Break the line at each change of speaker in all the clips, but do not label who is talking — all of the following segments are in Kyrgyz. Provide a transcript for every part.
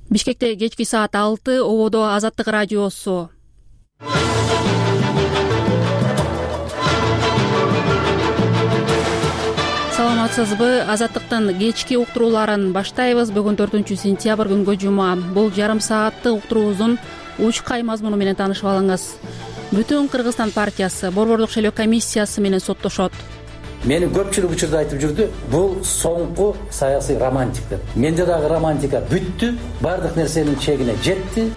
Бишкекте кечки саат 6, ободо Азаттык радиосу. Саламатсызбы? Азаттыктын кечки уктурууларын баштайбыз. Бүгүн 4-сентябрь күнгө жума. Бул жарым сааттык уктуруубуздун учкай мазмуну менен таанышып алыңыз. Бүтүн Кыргызстан партиясы Борбордук шайлоо комиссиясы менен соттошот.
Мени көпчүлүк учурда айтып жүрдү, бул соңку саясий романтик деп. Менде дагы романтика бүттү, бардык нерсенин чегине жетти.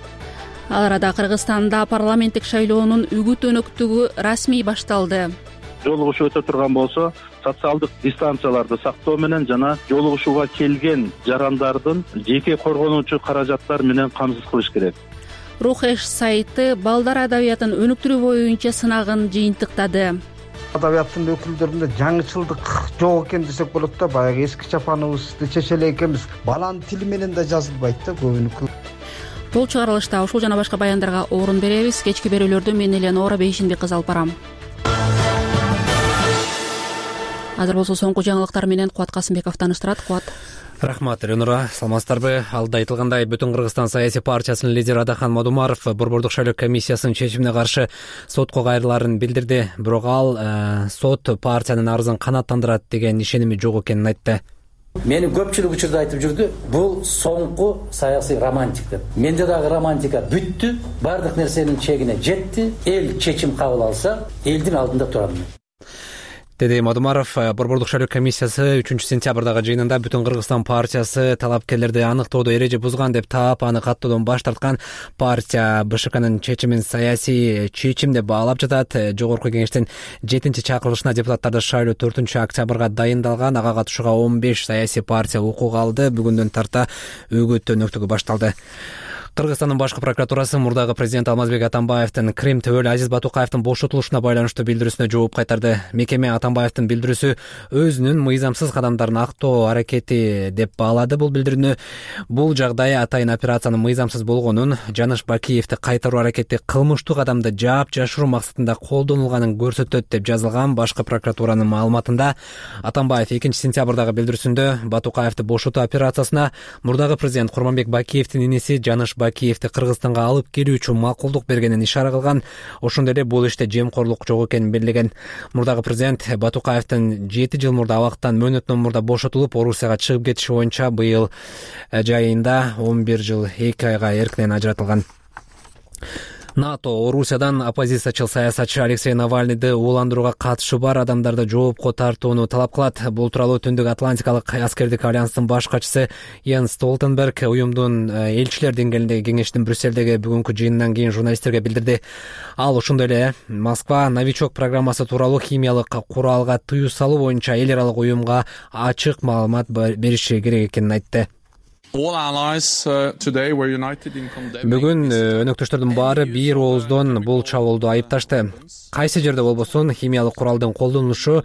Ал арада Кыргызстанда парламенттик шайлоонун үгүт өнөктүгү расмий башталды.
Жолугушуу өтө турган болсо, социалдык дистанцияларды сактоо менен жана жолугушууга келген жарандардын жеке коргонуучу каражаттар менен камсыз кылыш керек.
Рухеш сайты балдар адабиятын өнүктүрүү боюнча сынагын жыйынтыктады.
Адабияттын өкүлдөрүндө жаңычылдык жок экен десек болот да, баягы эски чапаныбызды чечеле экенбиз. Баланын тили менен да жазылбайт да көбүнүкү.
Бул чыгарылышта ушул жана башка баяндарга орун беребиз. Кечки берүүлөрдү мен Элеонора Бейшинбек кызы алып барам. Азыр болсо соңку жаңылыктар менен Кубат Касымбеков тааныштырат. Кубат.
Рахмат, Элеонора. Саламатсыздарбы? Алда айтылгандай, Бүтүн Кыргызстан саясий партиясынын лидери Адахан Мадумаров Борбордук шайлоо комиссиясынын чечимине каршы сотко кайрылаарын билдирди. Бирок ал сот партиянын арызын канааттандырат деген ишеними жок экенин айтты.
Мени көпчүлүк учурда айтып жүрдү, бул соңку саясий романтик деп. Менде дагы романтика бүттү, бардык нерсенин чегине жетти. Эл чечим кабыл алса, элдин алдында турам.
Деди Мадумаров. Борбордук шайлоо комиссиясы 3-сентябрдагы жыйынында Бүтүн Кыргызстан партиясы талапкерлерди аныктоодо эреже бузган деп таап, аны каттоодон баш тарткан. Партия БШКнын чечимин саясий чечим деп баалап жатат. Жогорку кеңештин 7-чакырылышына депутаттарды шайлоо 4-октябрга дайындалган. Ага катышууга 15 саясий партия укук алды. Бүгүндөн тарта үгүт өнөктүгү башталды. Кыргызстандын башкы прокуратурасы мурдагы президент Алмазбек Атамбаевдин Крим төбөлү Азиз Батукаевдин бошотулушуна байланыштуу билдирүүсүнө жооп кайтарды. Мекеме Атамбаевдин билдирүүсү өзүнүн мыйзамсыз кадамдарын актоо аракети деп баалады. Бул билдирүүнү бул жагдай атайын операциянын мыйзамсыз болгонун, Жаныш Бакиевди кайтаруу аракети кылмыштуу кадамды жаап жашыруу максатында колдонулганын көрсөтөт деп жазылган. Башкы прокуратуранын маалыматында Атамбаев 2-сентябрдагы билдирүүсүндө Батукаевди бошотуу операциясына мурдагы президент Курманбек Бакиевдин иниси Жаныш Бакиевди Кыргызстанга алып келүү үчүн макулдук бергенин ишара кылган. Ошондой эле бул иште жемкорлук жок экенин белгилеген. Мурдагы президент Батукаевдин 7 жыл мурда абактан мөөнөттөн мурда бошотулуп, Орусияга чыгып кетиши боюнча быйыл жайында 11 жыл 2 айга эркинен ажыратылган. НАТО Орусиядан оппозициячыл саясатчы Алексей Навальныйды ууландырууга катышы бар адамдарды жоопко тартууну талап кылат. Бул тууралуу Түндүк Атлантикалык аскердик альянстын баш катчысы Йенс Столтенберг уюмдун элчилер деңгээлиндеги кеңештин Брюссельдеги бүгүнкү жыйынынан кийин журналисттерге билдирди. Ал ошондой эле Москва новичок программасы тууралуу химиялык куралга тыюу салуу боюнча эл аралык уюмга ачык маалымат бериши керек экенин айтты. Бүгүн өнөктөштөрдүн баары бир ооздон бул чабуулду айыпташты. Кайсы жерде болбосун химиялык куралдын колдонулушу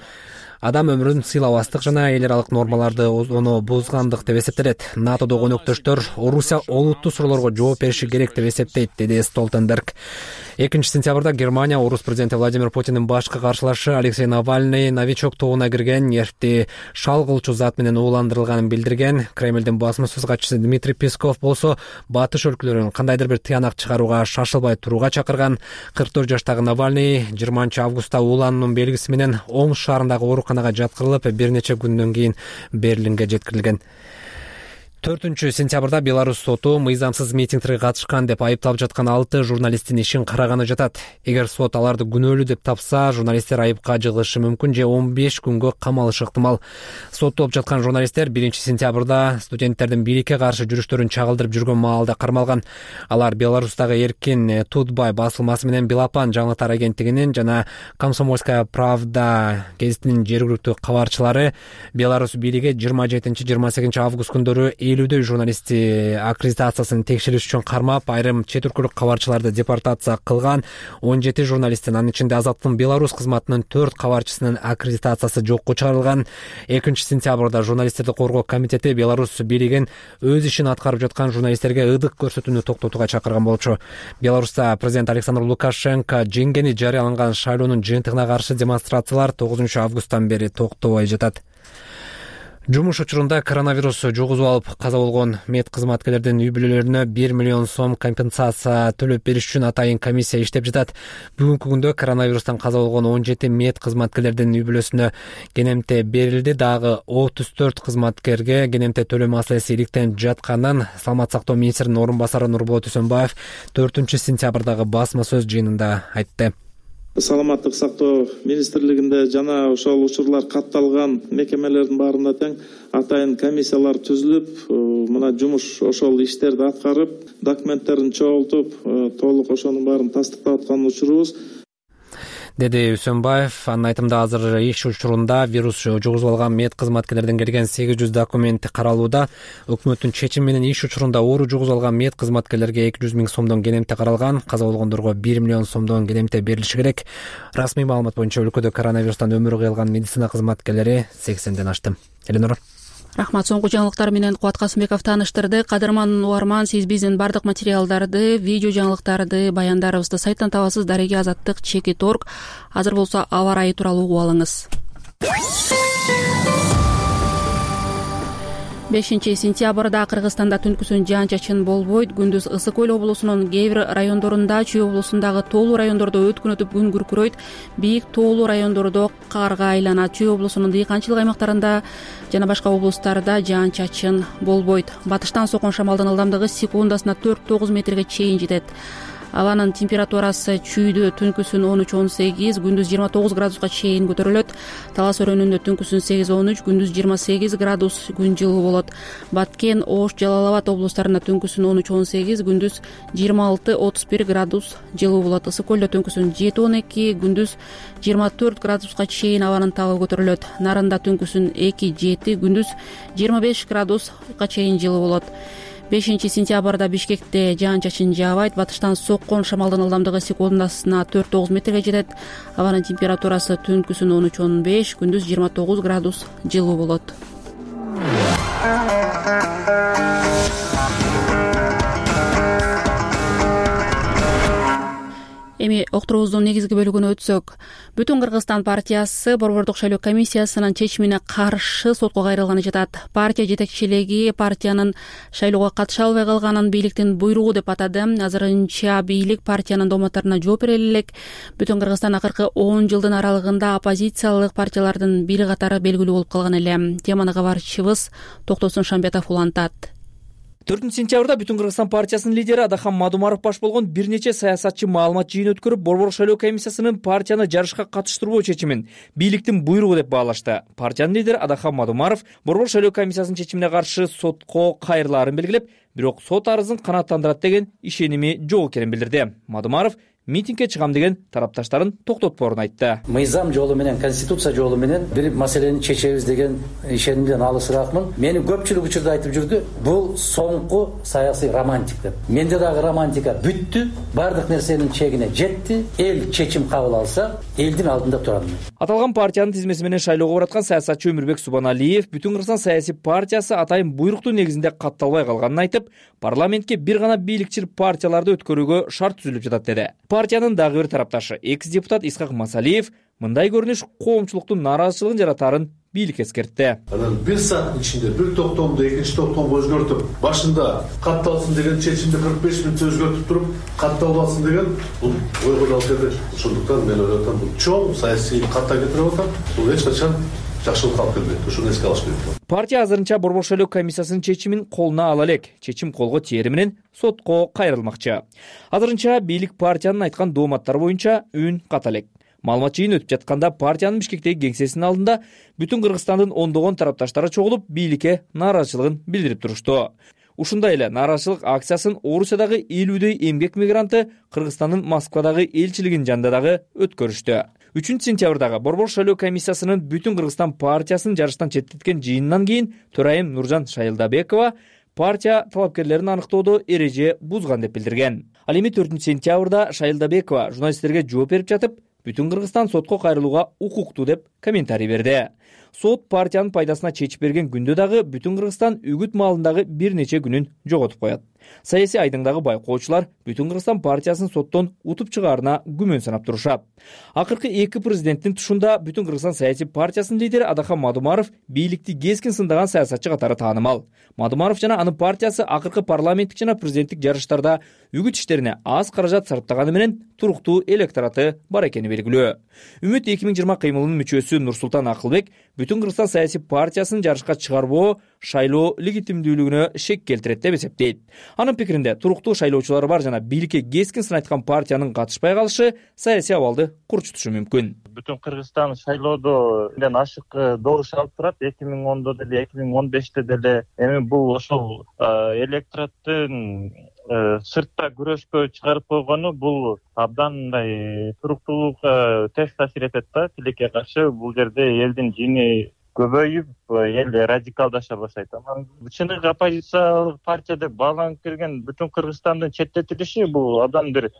адам өмүрүн сыйлабастык жана эл аралык нормаларды ону бузгандык деп эсептелет. НАТОдогу өнөктөштөр Орусия олуттуу суроолорго жооп бериши керек деп эсептейт, деди Столтенберг. 2-сентябрда Германия орус президенти Владимир Путиндин башкы каршылашы Алексей Навальный новичок тобуна кирген нервти шал кылчу зат менен ууландырылганын билдирген. Кремлдин басмасөз катчысы Дмитрий Песков болсо батыш өлкөлөрүн кандайдыр бир тыянак чыгарууга шашылбай турууга чакырган. 44 жаштагы Навальный 20-августта уулануунун белгиси менен Омск шаарындагы ооруканага жаткырылып, бир нече күндөн кийин Берлинге жеткирилген. 4-сентябрда Беларусь соту мыйзамсыз митингтерге катышкан деп айыпталып жаткан 6 журналисттин ишин караганы жатат. Эгер сот аларды күнөөлүү деп тапса, журналисттер айыпка жыгылышы мүмкүн же 15 күнгө камалышы ыктымал. Соттолуп жаткан журналисттер 1-сентябрда студенттердин бийликке каршы жүрүштөрүн чагылдырып жүргөн маалда кармалган. Алар Беларустагы Эркин Тутбай басылмасы менен Белапан жаңылыктар агенттигинин жана Комсомольская правда гезитинин жергиликтүү кабарчылары Беларусь бийлиги 27-28 август күндөрү 50 журналисти аккредитациясын текшериш үчүн кармап, айрым чет өлкөлүк кабарчыларды депортация кылган. 17 журналисттин, анын ичинде Азаттыктын Беларусь кызматынын 4 кабарчысынын аккредитациясы жокко чыгарылган. 2-сентябрда журналисттерди коргоо комитети Беларусь бийлигин өз ишин аткарып жаткан журналисттерге ыдык көрсөтүүнү токтотууга чакырган болчу. Беларусьта президент Александр Лукашенко жеңгени жарыяланган шайлоонун жыйынтыгына каршы демонстрациялар 9 августтан бери токтобой жатат. Жумуш учурунда коронавирус жугузуп алып каза болгон мед кызматкерлердин үй бүлөлөрүнө 1 миллион сом компенсация төлөп бериш үчүн атайын комиссия иштеп жатат. Бүгүнкү күндө коронавирустан каза болгон 17 мед кызматкерлердин үй бүлөсүнө кенемте берилди. Дагы 34 кызматкерге кенемте төлөө маселеси иликтенип жатканын Саламаттык сактоо министринин орун басары Нурболот Үсөнбаев 4-сентябрдагы басма сөз жыйынында айтты.
Саламаттык сактоо министрлигинде жана ошол учурлар катталган мекемелердин баарында тең атайын комиссиялар түзүлүп, мына жумуш ошол иштерди аткарып, документтерин чогултуп, толук ошонун баарын тастыктап аткан учурубуз,
деди Үсөнбаев. Анын айтымында азыр иш учурунда вирус жугузуп алган мед кызматкерлерден келген 800 документ каралууда. Өкмөттүн чечими менен иш учурунда оору жугузуп алган мед кызматкерлерге 200 миң сомдон кенемте каралган. Каза болгондорго 1 миллион сомдон кенемте берилиши керек. Расмий маалымат боюнча өлкөдө коронавирустан өмүрү кыйылган медицина кызматкерлери 80ден ашты. Эленора.
Рахмат. Соңку жаңылыктар менен Кубат Касымбеков тааныштырды. Кадырман угарман, сиз биздин бардык материалдарды, видео жаңылыктарды, баяндарыбызды сайттан табасыз. Дареги Азаттык /org. Азыр болсо аба ырайы тууралуу угуп алыңыз. 5-сентябрда Кыргызстанда түнкүсүн жаан-чачын болбойт. Күндүз Ысык Көл облусунун кээ бир райондорунда, Чүй облусундагы тоолуу райондордо өткөн өтүп күн күркүрөйт. Бийик тоолуу райондордо карга айланат. Чүй облусунун дыйканчылык аймактарында жана башка облустарда жаан-чачын болбойт. Батыштан соккон шамалдын ылдамдыгы секундасына 4-9 метрге чейин жетет. Абанын температурасы Чүйдө түнкүсүн 13-18, күндүз 29 градуска чейин көтөрүлөт. Талас өрөөнүндө түнкүсүн 8-13, күндүз 28 градус күн жылуу болот. Баткен, Ош, Жалал Абад облустарында түнкүсүн 13-18, күндүз 26-31 градус жылуу болот. Ысык Көлдө түнкүсүн 7-12, күндүз 24 градуска чейин абанын табы көтөрүлөт. Нарында түнкүсүн 2-7, күндүз 25 градуска чейин жылуу болот. 5-сентябрда Бишкекте жаан-чачын жаабайт. Батыштан соккон шамалдын ылдамдыгы секундасына 4-9 метрге жетет. Абанын температурасы түнкүсүн 13-15, күндүз 29 градус жылуу болот. Эми октурубуздун негизги бөлүгүнө өтсөк, Бүтүн Кыргызстан партиясы Борбордук шайлоо комиссиясынын чечимине каршы сотко кайрылганы жатат. Партия жетекчилиги партиянын шайлоого катыша албай калганын бийликтин буйругу деп атады. Азырынча бийлик партиянын дооматтарына жооп бере элек. Бүтүн Кыргызстан акыркы 10 жылдын аралыгында оппозициялык партиялардын бири катары белгилүү болуп калган эле. Теманы кабарчыбыз Токтосун Шамбетов улантат.
4-сентябрда Бүтүн Кыргызстан партиясынын лидери Адахан Мадумаров баш болгон бир нече саясатчы маалымат жыйын өткөрүп, Борбордук шайлоо комиссиясынын партияны жарышка катыштырбоо чечимин бийликтин буйругу деп баалашты. Партиянын лидери Адахан Мадумаров Борбордук шайлоо комиссиясынын чечимине каршы сотко кайрылаарын белгилеп, бирок сот арызын канааттандырат деген ишеними жок экенин билдирди. Мадумаров митингге чыгам деген тарапташтарын токтотпоорун айтты.
Мыйзам жолу менен, конституция жолу менен бир маселени чечебиз деген ишенимден алысыраакмын. Мени көпчүлүк учурда айтып жүрдү, бул соңку саясий романтик деп. Менде дагы романтика бүттү, бардык нерсенин чегине жетти. Эл чечим кабыл алса, элдин алдында турам.
Аталган партиянын тизмеси менен шайлоого бараткан саясатчы Өмүрбек Субаналиев Бүтүн Кыргызстан саясий партиясы атайын буйруктун негизинде катталбай калганын айтып, парламентке бир гана бийликчил партияларды өткөрүүгө шарт түзүлүп жатат деди. Партиянын дагы бир тарапташы экс-депутат Исхак Масалиев мындай көрүнүш коомчулуктун нааразычылыгын жаратаарын бийлик эскертти.
Анан бир сааттын ичинде бир токтомду экинчи токтомго өзгөртүп, башында катталсын деген чечимди 45 мүнөттө өзгөртүп туруп, катталбасын деген бул ойго алып келди. Ошондуктан мен ойлоп атам, бул чоң саясий катта кетирип атам. Бул эч качан жакшылык алып келбейт. Ошону эске алыш керек.
Партия азырынча Борбордук шайлоо комиссиясынын чечимин колуна ала элек. Чечим колго тиери менен сотко кайрылмакчы. Азырынча бийлик партиянын айткан дооматтары боюнча үн ката элек. Маалымат жыйын өтүп жатканда партиянын Бишкектеги кеңсесинин алдында Бүтүн Кыргызстандын ондогон тарапташтары чогулуп бийликке нааразычылыгын билдирип турушту. Ушундай эле нааразычылык акциясын Орусиядагы 50дөй эмгек мигранты Кыргызстандын Москвадагы элчилигинин жанында дагы өткөрүштү. 3-сентябрдагы Борбордук шайлоо комиссиясынын Бүтүн Кыргызстан партиясын жарыштан четтеткен жыйынынан кийин төрайым Нуржан Шайылдабекова партия талапкерлерин аныктоодо эреже бузган деп билдирген. Ал эми 4-сентябрда Шайылдабекова журналисттерге жооп берип жатып, Бүтүн Кыргызстан сотко кайрылууга укуктуу деп комментарий берди. сот партиянын пайдасына чечип берген күндө дагы Бүтүн Кыргызстан үгүт маалындагы бир нече күнүн жоготуп коет. Саясий айдыңдагы байкоочулар Бүтүн Кыргызстан партиясын соттон утуп чыгаарына күмөн санап турушат. Акыркы эки президенттин тушунда Бүтүн Кыргызстан саясий партиясынын лидери Адахан Мадумаров бийликти кескин сындаган саясатчы катары таанымал. Мадумаров жана анын партиясы акыркы парламенттик жана президенттик жарыштарда үгүт иштерине аз каражат сарптаганы менен туруктуу электораты бар экени белгилүү. Үмүт 2020 кыймылынын мүчөсү Нурсултан Акылбек Бүтүн Кыргызстан саясий партиясын жарышка чыгарбоо шайлоо легитимдүүлүгүнө шек келтирет деп эсептейт. Анын пикиринде туруктуу шайлоочулары бар жана бийликке кескин сын айткан партиянын катышпай калышы саясий абалды курчутушу мүмкүн.
Бүтүн Кыргызстан шайлоодо ашык добуш алып турат. 2010 деле 2015 деле эми бул ошол электораттын сыртта күрөшкө чыгарып койгону бул абдан мындай туруктуулукка терс таасир этет да. Тилекке каршы бул жерде элдин жини көбөйүп, эл радикалдаша баштайт. Чыныгы оппозициялык партия деп бааланып келген Бүтүн Кыргызстандын четтетилиши бул абдан бир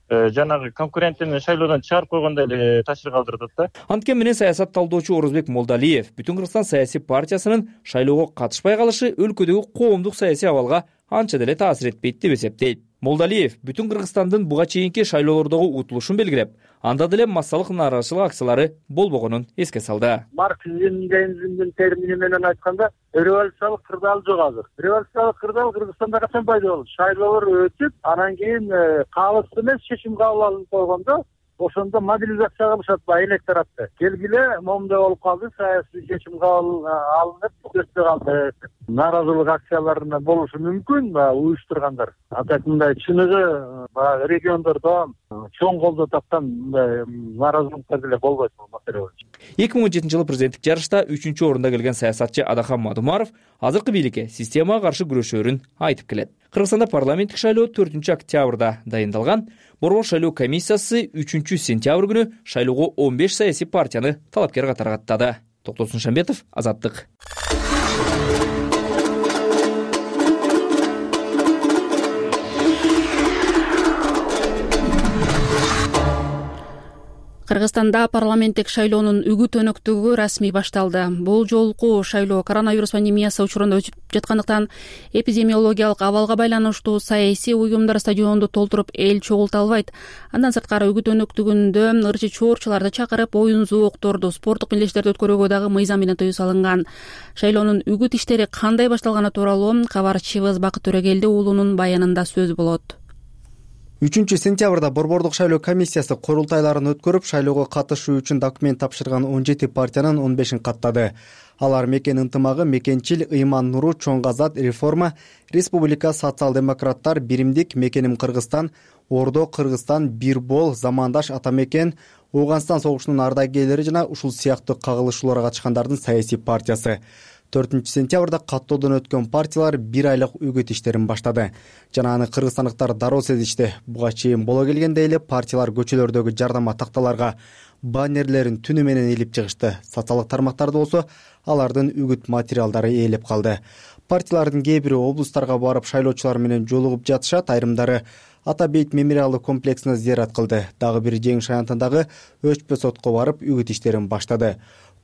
жанагы конкурентин шайлоодон чыгарып койгондой эле таасир калтырат да.
Анткени менен саясат талдоочу Орозбек Молдалиев Бүтүн Кыргызстан саясий партиясынын шайлоого катышпай калышы өлкөдөгү коомдук саясий абалга анча деле таасир этпейт деп эсептейт. Молдалиев Бүтүн Кыргызстандын буга чейинки шайлоолордогу утулушун белгилеп, анда деле массалык нааразычылык акциялары болбогонун эске салды.
Марксизмдин термини менен айтканда, революциялык кырдаал жок азыр. Революциялык кырдаал Кыргызстанда качан пайда болду? Шайлоолор өтүп, анан кийин калыс эмес чечим кабыл алынып койгондо, ошондо мобилизация кылышат электоратты. Келгиле, момундай болуп калды, саясий чечим кабыл алынып, өтпөй калды. Нааразылык акцияларына болушу мүмкүн, уюштургандар. Атак мындай чыныгы региондордо чоң колдоо тапкан нааразылыктар деле болбойт бул маселе боюнча.
2017 президенттик жарышта 3-орунда келген саясатчы Адахан Мадумаров азыркы бийликке системага каршы күрөшөөрүн айтып келет. Кыргызстанда парламенттик шайлоо 4-октябрда дайындалган. Борбор шайлоо комиссиясы 3-сентябрь күнү шайлоого 15 саясий партияны талапкер катары каттады. Токтосун Шамбетов, Азаттык.
Кыргызстанда парламенттик шайлоонун үгүт өнөктүгү расмий башталды. Бул жолку шайлоо коронавирус пандемиясы учурунда өтүп жаткандыктан эпидемиологиялык абалга байланыштуу саясий уюмдар стадионду толтуруп эл чогулта албайт. Андан сырткары үгүт өнөктүгүндө ырчы чоорчуларды чакырып, оюн зоокторду, спорттук мелдештерди өткөрүүгө дагы мыйзам менен тыюу салынган. Шайлоонун үгүт иштери кандай башталганы тууралуу кабарчыбыз Бакыт Төрөгелди уулунун баянында сөз болот.
3-сентябрда борбордук шайлоо комиссиясы курултайларын өткөрүп, шайлоого катышуу үчүн документ тапшырган 17 партиянын 15-ин каттады. Алар Мекен ынтымагы, Мекенчил, Ыйман Нуру, Чоң Азат, Реформа, Республика, Социал-демократтар, Биримдик, Мекеним Кыргызстан, Ордо Кыргызстан, Бир Бол, Замандаш, Ата Мекен, Ооганстан согушунун ардагерлери жана ушул сыяктуу кагылышууларга катышкандардын саясий партиясы. 4-сентябрда каттоодон өткөн партиялар 1 айлык үгүт иштерин баштады. Жана аны кыргызстандыктар дароо сезишти. Буга чейин боло келгенде эле партиялар көчөлөрдөгү жардама такталарга баннерлерин түнү менен илип чыгышты. Социалдык тармактарда болсо алардын үгүт материалдары ээлеп калды. Партиялардын кээ бири облустарга барып шайлоочулар менен жолугуп жатышат, айрымдары Ата Бейт мемориалдык комплексине зыярат кылды. Дагы бир Жеңиш аянтындагы Өчпө сотко барып үгүт иштерин баштады.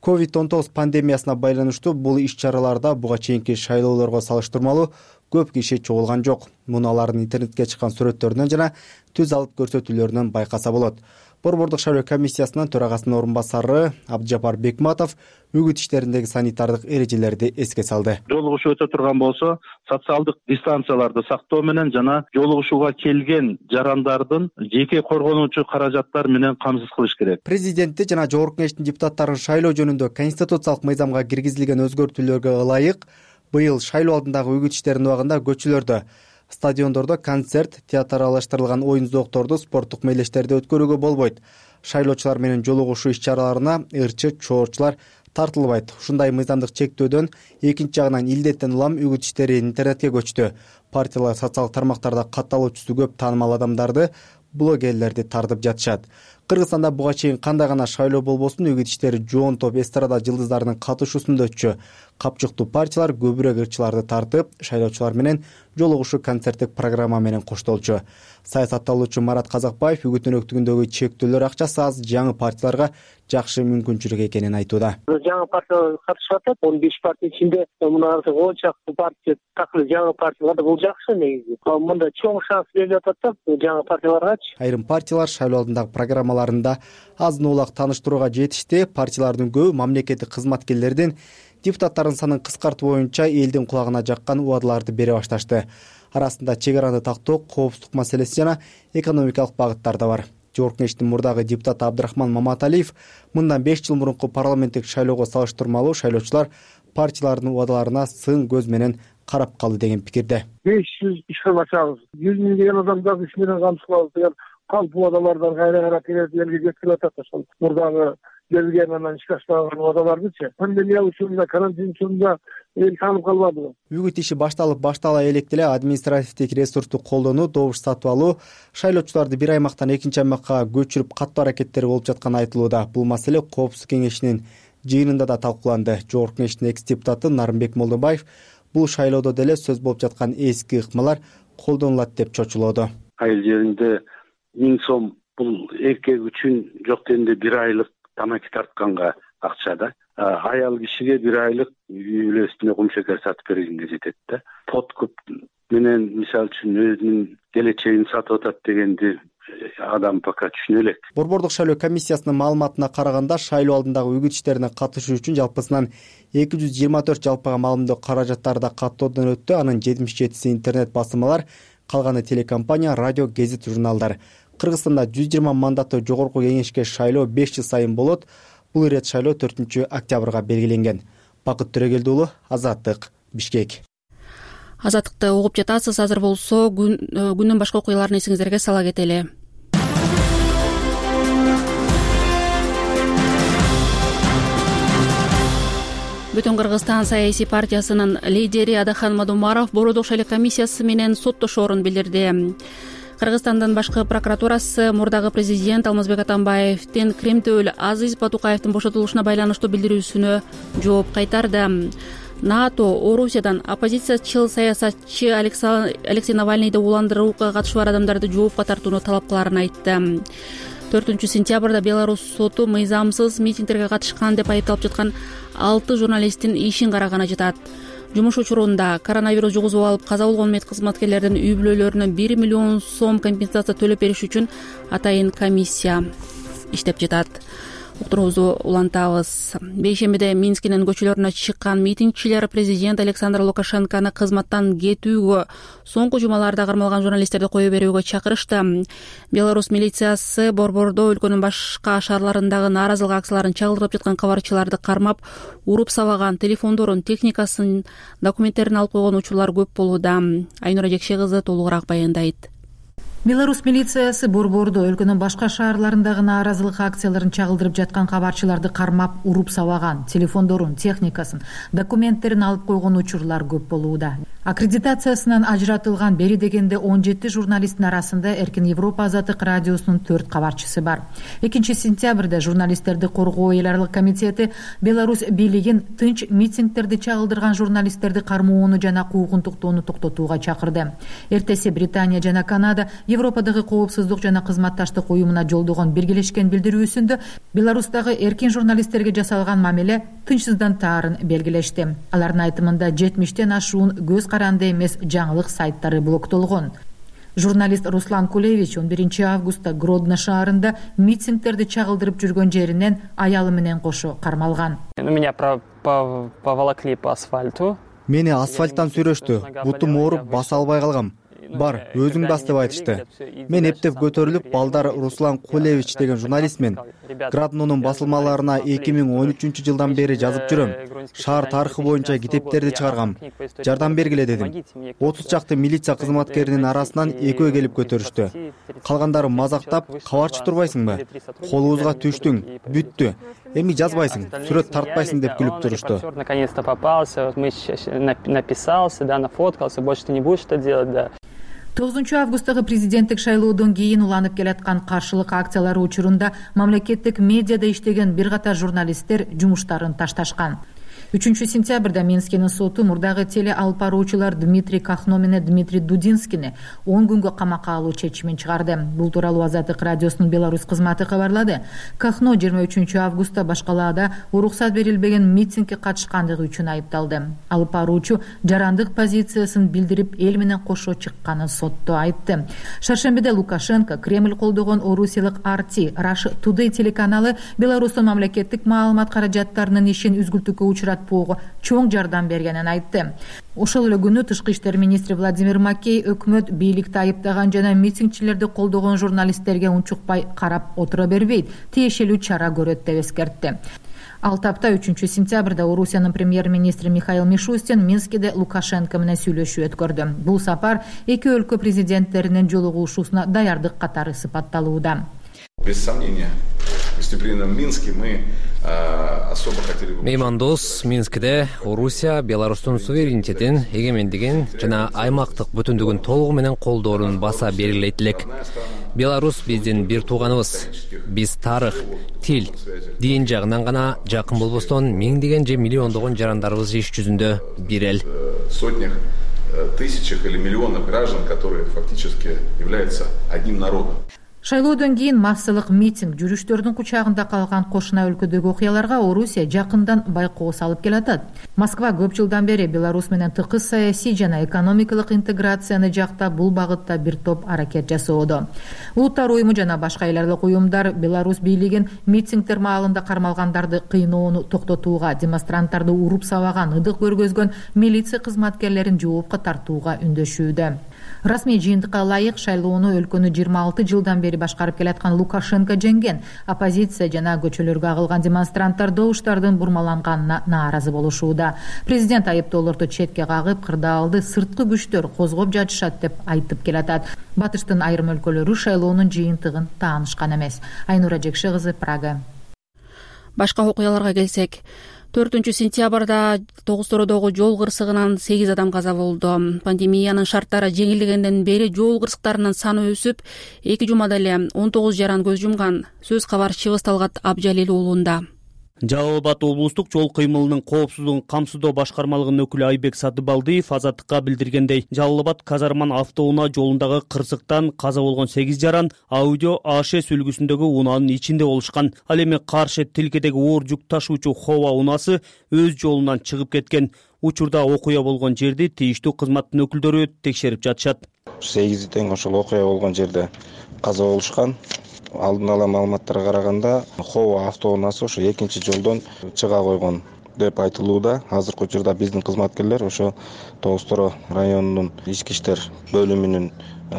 COVID-19 пандемиясына байланыштуу бул иш-чараларда буга чейинки шайлоолорго салыштырмалуу көп киши чогулган жок. Муну алардын интернетке чыккан сүрөттөрүнөн жана түз алып көрсөтүүлөрүнөн байкаса болот. Борбордук шайлоо комиссиясынын төрагасынын орун басары Абдыжапар Бекматов үгүт иштериндеги санитардык эрежелерди эске салды.
Жолугушуу өтө турган болсо, социалдык дистанцияларды сактоо менен жана жолугушууга келген жарандардын жеке коргонуучу каражаттар менен камсыз кылыш керек.
Президенти жана жогорку кеңештин депутаттарын шайлоо жөнүндө конституциялык мыйзамга киргизилген өзгөртүүлөргө ылайык быйыл шайлоо алдындагы үгүт иштеринин убагында көчөлөрдө, стадиондордо концерт, театралаштырылган оюн зоокторду, спорттук мелдештерди өткөрүүгө болбойт. Шайлоочулар менен жолугушуу иш-чараларына ырчы чоорчулар тартылбайт. Ушундай мыйзамдык чектөөдөн экинчи жагынан илдеттен улам үгүт иштери интернетке көчтү. Партиялар социалдык тармактарда катталуучусу көп таанымал адамдарды, блогерлерди тартып жатышат. Кыргызстанда буга чейин кандай гана шайлоо болбосун үгүт иштери жоон топ эстрада жылдыздарынын катышуусунда өтчү. Капчыктуу партиялар көбүрөөк ырчыларды тартып, шайлоочулар менен жолугушуу концерттик программа менен коштолчу. Саясатталуучу Марат Казакбаев үгүт өнөктүгүндөгү чектөөлөр акчасы аз жаңы партияларга жакшы мүмкүнчүлүк экенин айтууда.
Жаңы партиялар катышып атат. 15 партия ичинде мына 10 чакты партия такыр жаңы партиялар бул жакшы негизи. Мында чоң шанс берип атат да жаңы партияларгачы.
Айрым партиялар шайлоо алдындагы программаларында азын улак тааныштырууга жетишти. Партиялардын көбү мамлекеттик кызматкерлердин депутаттардын санын кыскартуу боюнча элдин кулагына жаккан убадаларды бере башташты. Арасында чек араны тактоо, коопсуздук маселеси жана экономикалык багыттар да бар. Жогорку Кеңештин мурдагы депутаты Абдрахман Маматалиев мындан 5 жыл мурунку парламенттик шайлоого салыштырмалуу шайлоочулар партиялардын убадаларына сын көз менен карап калды деген пикирде.
500 ишкер ачабыз. 100 миң деген адамдарды иш менен камсыздабыз деген калп убадалардан кайра келип элге жеткирип атат. Ошол мурдагы берилген анан ишке ашпаган убадалардычы. Пандемия учурунда, карантин учурунда эл таанып калбадыбы? Үгүт
иши баштала элек деле административдик ресурсту колдонуу, добуш сатып алуу, шайлоочуларды бир аймактан экинчи аймакка көчүрүп каттоо аракеттери болуп жатканы айтылууда. Бул маселе Коопсуздук кеңешинин жыйынында да талкууланды. Жогорку Кеңештин экс-депутаты Нарымбек Молдобаев бул шайлоодо деле сөз болуп жаткан эски ыкмалар колдонулат деп чочулоодо.
Айыл жеринде 1000 сом бул эркек үчүн жок дегенде 1 айлык тамаки тартканга акча да. Аял кишиге 1 айлык үй бүлөсүнө кум шекер сатып бергенге жетет да. Подкуп менен мисалы үчүн өзүнүн келечегин сатып атат дегенди адам пока түшүнө элек.
Борбордук шайлоо комиссиясынын маалыматына караганда шайлоо алдындагы үгүт иштерине катышуу үчүн жалпысынан 224 жалпыга маалымдоо каражаттары да каттоодон өттү. Анын 77си интернет басылмалар, калганы телекомпания, радио, гезит, журналдар. Кыргызстанда 120 мандаттуу жогорку кеңешке шайлоо 5 жыл сайын болот. Бул ирет шайлоо 4-октябрга белгиленген. Бакыт Төрөгелди уулу, Азаттык, Бишкек.
Азаттыкты угуп жатасыз. Азыр болсо күндүн башка окуяларын эсиңиздерге сала кетели. Бүтүн Кыргызстан саясий партиясынын лидери Адахан Мадумаров Борбордук шайлоо комиссиясы менен соттошоорун билдирди. Кыргызстандын башкы прокуратурасы мурдагы президент Алмазбек Атамбаевдин Кремтөөл Азиз Батукаевдин бошотулушуна байланыштуу билдирүүсүнө жооп кайтарды. НАТО Орусиядан оппозициячыл саясатчы Алексей Навальныйды уландырууга катышы бар адамдарды жоопко тартууну талап кылаарын айтты. 4-сентябрда Беларусь соту мыйзамсыз митингдерге катышкан деп айыпталып жаткан 6 журналисттин ишин караганы жатат. Жумуш учурунда коронавирус жугузуп алып каза болгон мед кызматкерлердин үй бүлөлөрүнө 1 миллион сом компенсация төлөп бериш үчүн атайын комиссия иштеп жатат. Уктуруубузду улантабыз. Бейшембиде Минскинин көчөлөрүнө чыккан митингчилер президент Александр Лукашенкону кызматтан кетүүгө, соңку жумаларда кармалган журналисттерди кое берүүгө чакырышты. Беларусь милициясы борбордо өлкөнүн башка шаарларындагы нааразылык акцияларын чагылдырып жаткан кабарчыларды кармап, уруп сабаган, телефондорун, техникасын, документтерин алып койгон учурлар көп болууда. Айнура Жекше кызы толугураак баяндайт.
Беларусь милициясы борбордо өлкөнүн башка шаарларындагы нааразылык акцияларын чагылдырып жаткан кабарчыларды кармап, уруп сабаган, телефондорун, техникасын, документтерин алып койгон учурлар көп болууда. Аккредитациясынан ажыратылган бери дегенде 17 журналисттин арасында Эркин Европа Азаттык радиосунун 4 кабарчысы бар. 2-сентябрда журналисттерди коргоо эл аралык комитети Беларусь бийлигин тынч митингдерди чагылдырган журналисттерди кармоону жана куугунтуктоону токтотууга чакырды. Эртеси Британия жана Канада Европадагы коопсуздук жана кызматташтык уюмуна жолдогон биргелешкен билдирүүсүндө Беларустагы эркин журналисттерге жасалган мамиле тынчсыздантаарын белгилешти. Алардын айтымында 70тен ашуун көз каранды эмес жаңылык сайттары блоктолгон. Журналист Руслан Кулевич 11 августта Гродно шаарында митингдерди чагылдырып жүргөн жеринен аялы менен кошо кармалган.
Меня поволокли по асфальту.
Мени асфальттан сүрөштү. Бутум ооруп баса албай калгам. Бар, өзүң бас деп айтышты. Мен эптеп көтөрүлүп, балдар Руслан Кулевич деген журналистмин. Граднонун басылмаларына 2013 жылдан бери жазып жүрөм. Шаар тарыхы боюнча китептерди чыгаргам. Жардам бергиле дедим. 30 чакты милиция кызматкеринин арасынан экөө келип көтөрүштү. Калгандары мазактап, кабарчы турбайсыңбы? Колубузга түштүң, бүттү. Эми жазбайсың, сүрөт тартпайсың деп күлүп турушту.
Наконец-то попался, мы написался, да, нафоткался, больше ты не будешь это делать, да.
9-августтагы президенттик шайлоодон кийин уланып келаткан каршылык акциялары учурунда мамлекеттик медиада иштеген бир катар журналисттер жумуштарын ташташкан. 3-сентябрда Минскинин соту мурдагы теле алып баруучулар Дмитрий Кахно менен Дмитрий Дудинскийни 10 күнгө камакка алуу чечимин чыгарды. Бул тууралуу Азаттык радиосунун Беларусь кызматы кабарлады. Кахно 23-августта башкалаада уруксат берилбеген митингге катышкандыгы үчүн айыпталды. Алып баруучу жарандык позициясын билдирип, эл менен кошо чыкканын сотто айтты. Шаршембиде Лукашенко Кремль колдогон орусиялык RT Russia Today телеканалы Беларустун мамлекеттик маалымат каражаттарынын ишин үзгүлтүккө учуратпоого чоң жардам бергенин айтты. Ошол эле күнү Тышкы иштер министри Владимир Макей өкмөт бийликти айыптаган жана митингчилерди колдогон журналисттерге унчукпай карап отура бербейт, тиешелүү чара көрөт деп эскертти. Ал тапта 3-сентябрда Орусиянын премьер-министри Михаил Мишустин Минскиде Лукашенко менен сүйлөшүү өткөрдү. Бул сапар эки өлкө президенттеринин жолугушуусуна даярдык катары сыпатталууда.
Без сомнения, выступлением в Минске мы особо хотели бы...
Меймандос Минскиде Орусия Беларустун суверенитетин, эгемендигин жана аймактык бүтүндүгүн толугу менен колдоорун баса белгилейт элек. Беларус биздин бир тууганыбыз. Биз тарых, тил, дин жагынан гана жакын болбостон миңдеген же миллиондогон жарандарыбыз иш жүзүндө бир эл.
Сотнях, тысячах или миллионов граждан, которые фактически являются одним народом.
Шайлоодон кийин массалык митинг, жүрүштөрдүн кучагында калган кошуна өлкөдөгү окуяларга Орусия жакындан байкоо салып келатат. Москва көп жылдан бери Беларусь менен тыкыз саясий жана экономикалык интеграцияны жактап, бул багытта бир топ аракет жасоодо. Улуттар уюму жана башка эл аралык уюмдар Беларусь бийлигин митингдер маалында кармалгандарды кыйноону токтотууга, демонстранттарды уруп сабаган, ыдык көргөзгөн милиция кызматкерлерин жоопко тартууга үндөшүүдө. Расмий жыйынтыкка ылайык шайлоону өлкөнү 26 жылдан бери башкарып келаткан Лукашенко жеңген. Оппозиция жана көчөлөргө агылган демонстранттар добуштардын бурмаланганына нааразы болушууда. Президент айыптоолорду четке кагып, кырдаалды сырткы күчтөр козгоп жатышат деп айтып келатат. Батыштын айрым өлкөлөрү шайлоонун жыйынтыгын таанышкан эмес. Айнура Жекше кызы, Прага.
Башка окуяларга келсек, 4-сентябрда Тогуз-Тородогу жол кырсыгынан 8 адам каза болду. Пандемиянын шарттары жеңилгенден бери жол кырсыктарынын саны өсүп, 2 жумада эле 19 жаран көз жумган. Сөз кабар Чыгыс Талгат Абжалил уулунда.
Жалал Абад облустук жол кыймылынын коопсуздугун камсыздоо башкармалыгынын өкүлү Айбек Сатыбалдиев Азаттыкка билдиргендей, Жалал Абад Казарман автоунаа жолундагы кырсыктан каза болгон 8 жаран Аудио АШ сүлгүсүндөгү унаанын ичинде болушкан. Ал эми каршы тилкедеги оор жүк ташуучу Хова унаасы өз жолунан чыгып кеткен. Учурда окуя болгон жерди тийиштүү кызматтын өкүлдөрү текшерип жатышат.
8 тең ошол окуя болгон жерде каза болушкан. Алдын ала маалыматтарга караганда Хова автоунаасы ошо экинчи жолдон чыга койгон деп айтылууда. Азыркы учурда биздин кызматкерлер ошо Тогуз-Торо районунун ички иштер бөлүмүнүн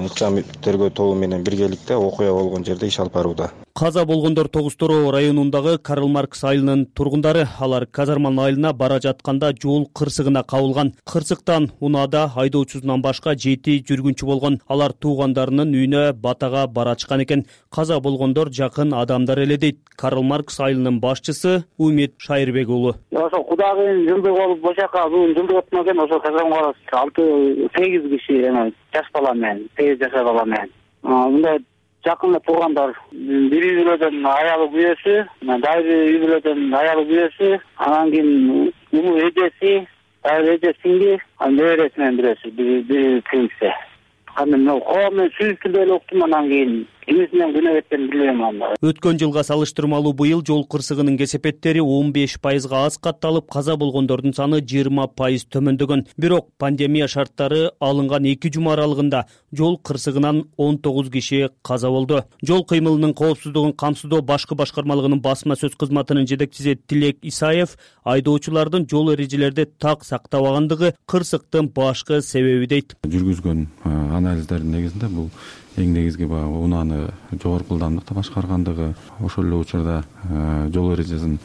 ыкчам тергөө тобу менен биргеликте окуя болгон жерде иш алып барууда.
Каза болгондор Тогуз-Торо районундагы Карл Маркс айылынын тургундары. Алар Казарман айылына бара жатканда жол кырсыгына кабылган. Кырсыктан унаада айдоочусунан башка 7 жүргүнчү болгон. Алар туугандарынын үйүнө батага барачкан экен. Каза болгондор жакын адамдар эле дейт Карл Маркс айылынын башчысы Умит Шайырбек уулу.
Ошо Кудайдын жылдыгы болуп бошака бүгүн жылдык өтмөк экен. Ошо Казарман 6-8 киши жаш бала менен, 8 жашар бала менен. Мындай жакын туугандар, бир үй бүлөдөн аялы күйөөсү, дайыр үй бүлөдөн аялы күйөөсү, анан кийин улуу эжеси, дайыр эже сиңди, анан небереси менен бирөөсү, бир сиңдиси. Анан Хова менен сүйлөшкөндө эле уктум, анан кийин эмесинен күнөө кеткенин билбейм анда.
Өткөн жылга салыштырмалуу быйыл жол кырсыгынын кесепеттери 15% аз катталып, каза болгондордун саны 20% төмөндөгөн. Бирок пандемия шарттары алынган 2 жума аралыгында жол кырсыгынан 19 киши каза болду. Жол кыймылынын коопсуздугун камсыздоо башкы башкармалыгынын басма сөз кызматынын жетекчиси Тилек Исаев айдоочулардын жол эрежелерди так сактабагандыгы кырсыктын башкы себеби дейт.
Жүргүзгөн анализдердин негизинде бул эң негизги унааны жогорку ылдамдыкта башкаргандыгы, ошол эле учурда жол эрежесинин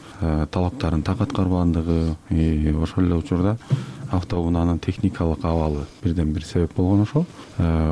талаптарын так аткарбагандыгы, ошол эле учурда автоунаанын техникалык абалы бирден бир себеп болгон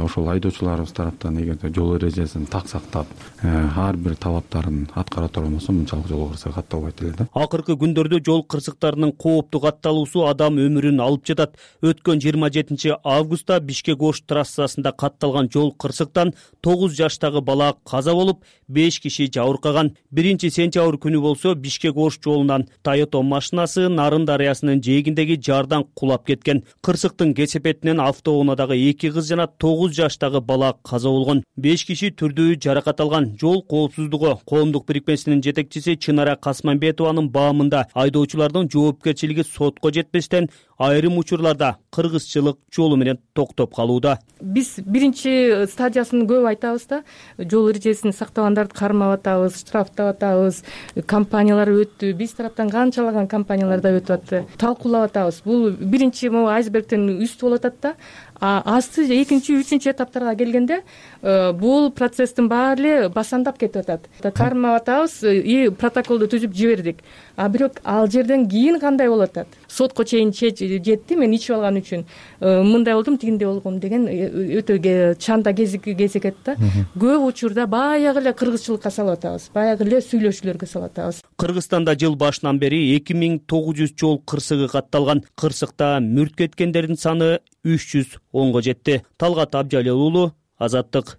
ошол айдоочуларыбыз тараптан эгерде жол эрежесин так сактап ар бир талаптарын аткара турган болсо мынчалык жол кырсыгы катталбайт эле да.
Акыркы күндөрдө жол кырсыктарынын кооптуу катталуусу адам өмүрүн алып жатат. Өткөн 27 августта Бишкек-Ош трассасында катталган жол кырсыктан 9 жаштагы бала каза болуп, 5 киши жабыркаган. 1-сентябрь күнү болсо Бишкек-Ош жолунан Toyota машинасы Нарын дарыясынын жээгиндеги жардан кулап кеткен. Кырсыктын кесепетинен автоунаадагы 2 кыз жана 9 жаштагы бала каза болгон. 5 киши түрдүү жаракат алган. Жол коопсуздугу коомдук бирикмесинин жетекчиси Чынара Касманбетованын баамында айдоочулардын жоопкерчилиги сотко жетпестен айрым учурларда кыргызчылык жолу менен токтоп калууда.
Биз биринчи стадиясын көп айтабыз да, жол эрежесин сактагандарды кармап атабыз, штрафтап атабыз, компаниялар өттү, биз тараптан канчалаган компаниялар да өтүп атты, талкуулап атабыз. Бул биринчи могу айсбергден үстү болуп атат да. Асты 2-3 этаптарга келгенде бул процесстин баары эле басандап кетип атат. Кармап атабыз и протоколду түзүп жибердик. Бирок ал жерден кийин кандай болуп атат? Сотко чейин жетти, мен ичип алган үчүн мындай болдум, тигиндей болгом деген өтө чанда кезекет да. Көп учурда баягы эле кыргызчылыкка салып атабыз, баягы эле сүйлөшүүлөргө салып атабыз.
Кыргызстанда жыл башынан бери 2900 жол кырсыгы катталган. Кырсыкта мүрт кеткендердин саны 310го жетти. Талгат Абжалил уулу, Азаттык.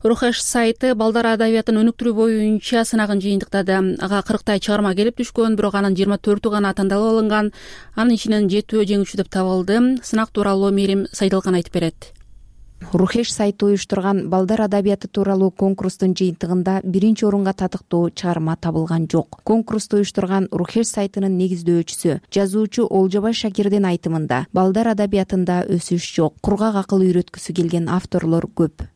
Рухеш сайты балдар адабиятын өнүктүрүү боюнча сынагын жыйынтыктады. Ага 40 чыгарма келип түшкөн, бирок анын 24 гана тандалып алынган. Анын ичинен 7 жеңүүчү деп табылды. Сынак тууралуу Мерим Сайдалкан айтып берет.
Рухеш сайты уюштурган балдар адабияты тууралуу конкурстун жыйынтыгында 1 орунга татыктуу чыгарма табылган жок. Конкурсту уюштурган Рухеш сайтынын негиздөөчүсү, жазуучу Олжобай Шакирдин айтымында, балдар адабиятында өсүш жок, кургак акыл үйрөткүсү келген авторлор көп.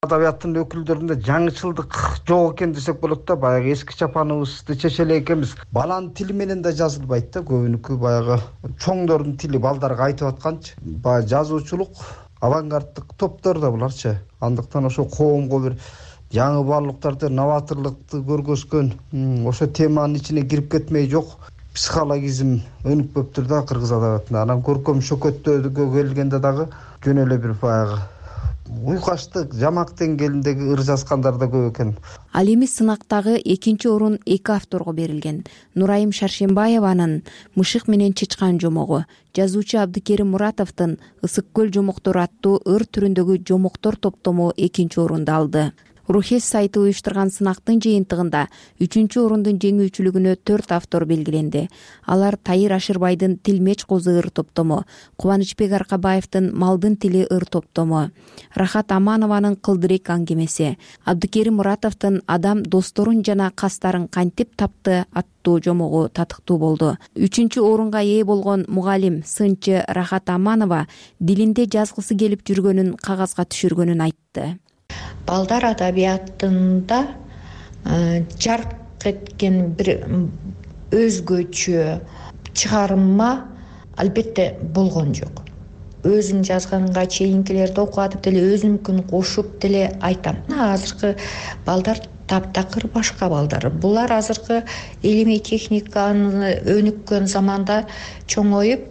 Адабияттын өкүлдөрүндө жаңычылдык жок экен десек болот да. Баягы эски чапаныбызды чечеле экенбиз. Баланын тили менен да жазылбайт да. Көбүнүкү баягы чоңдордун тили балдарга айтып атканчы. Баягы жазуучулук авангарддык топтор да буларчы. Андыктан ошо коомго бир жаңы баалуулуктарды, новаторлукту көргөзгөн, ошо теманын ичине кирип кетмей жок психологизм өнүкпөптүр да кыргыз адабиятында. Анан көркөм шөкөттөөгө келгенде дагы жөн эле бир баягы уйкаштык, жамак деңгээлиндеги ыр жазгандар да көп экен.
Ал эми сынактагы 2 орун 2 авторго берилген. Нурайым Шаршембаеванын Мышык менен чычкан жомогу, жазуучу Абдыкерим Муратовдун Ысык көл жомоктору аттуу ыр түрүндөгү жомоктор топтому 2 орунду алды. Рухеш сайты уюштурган сынактын жыйынтыгында 3 орундун жеңүүчүлүгүнө 4 автор белгиленди. Алар Тайыр Ашырбайдын Тилмеч козу ыр топтому, Кубанычбек Аркабаевдин Малдын тили ыр топтому, Рахат Аманованын Кылдырек аңгемеси, Абдыкерим Муратовдун Адам досторун жана кастарын кантип тапты аттуу жомогу татыктуу болду. 3 орунга ээ болгон мугалим сынчы Рахат Аманова дилинде жазгысы келип жүргөнүн кагазга түшүргөнүн айтты.
Балдар адабиятында жарк эткен бир өзгөчө чыгарма албетте болгон жок. Өзүм жазганга чейинкилерди окуп атып деле өзүмкүн кошуп деле айтам. Азыркы балдар таптакыр башка балдар. Булар азыркы илимий техниканы өнүккөн заманда чоңоюп,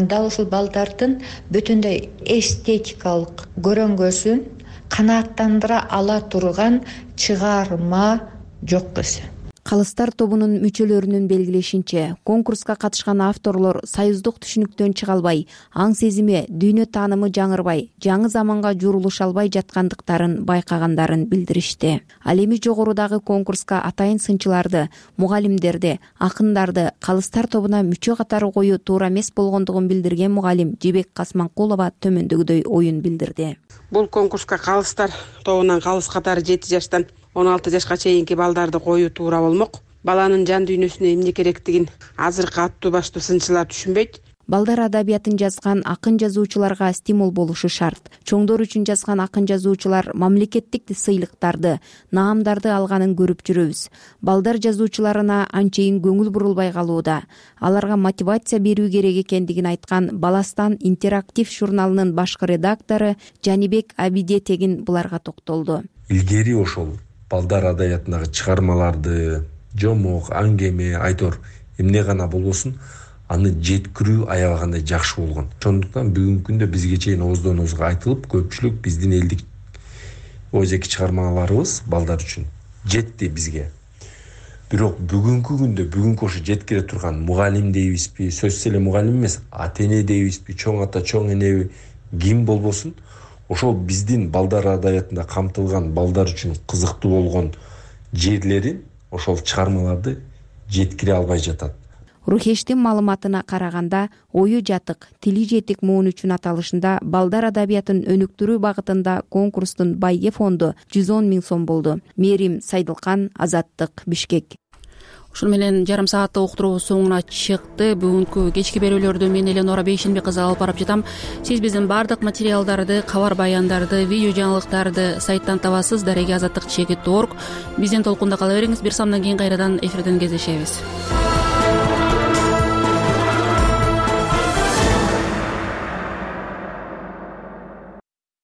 дал ушул балдардын бүтүндөй эстетикалык көрөңгөсүн канааттандыра ала турган чыгарма жок эсе.
Калыстар тобунун мүчөлөрүнүн белгилешинче, конкурска катышкан авторлор союздук түшүнүктөн чыга албай, аң сезими, дүйнө таанымы жаңырбай, жаңы заманга журулуша албай жаткандыктарын байкагандарын билдиришти. Ал эми жогорудагы конкурска атайын сынчыларды, мугалимдерди, акындарды калыстар тобуна мүчө катары коюу туура эмес болгондугун билдирген мугалим Жебек Касманкулова төмөндөгүдөй оюн билдирди.
Бул конкурска калыстар тобунан калыс катары 7 жаштан 16 жашка чейинки балдарды коюу туура болмок. Баланын жан дүйнөсүнө эмне керектигин азыркы аттуу баштуу сынчылар түшүнбөйт.
Балдар адабиятын жазган акын жазуучуларга стимул болушу шарт. Чоңдор үчүн жазган акын жазуучулар мамлекеттик сыйлыктарды, наамдарды алганын көрүп жүрөбүз. Балдар жазуучуларына анчейин көңүл бурулбай калууда. Аларга мотивация берүү керек экендигин айткан Баластан интерактив журналынын башкы редактору Жанибек Абидетегин буларга токтолду.
Илгери ошол балдар адабиятындагы чыгармаларды, жомок, аңгеме, айтор эмне гана болбосун, аны жеткирүү аябагандай жакшы болгон. Ошондуктан бүгүнкү күндө бизге чейин ооздон оозго айтылып, көпчүлүк биздин элдик ойзеки чыгармаларыбыз балдар үчүн жетти бизге. Бирок бүгүнкү күндө бүгүнкү ошо жеткире турган мугалим дейбизби, сөзсүз эле мугалим эмес, ата эне дейбизби, чоң ата, чоң энеби, ким болбосун, ошол биздин балдар адабиятында камтылган балдар үчүн кызыктуу болгон жерлерин ошол чыгармаларды жеткире албай жатат.
Рухештин маалыматына караганда, ою жатык, тили жетик муун үчүн аталышында балдар адабиятын өнүктүрүү багытында конкурстун байге фонду 110 000 сом болду. Мерим Сайдылкан, Азаттык, Бишкек.
Ушуну менен жарым сааттык уктуруубуз соңуна чыкты. Бүгүнкү кечки берүүлөрдү мен Эленора Бейшенбек кызы алып барып жатам. Сиз биздин бардык материалдарды, кабар баяндарды, видео жаңылыктарды сайттан табасыз. Дареги Азаттык _org. Биздин толкунда кала бериңиз. Бир самдан кийин кайрадан эфирден кездешебиз.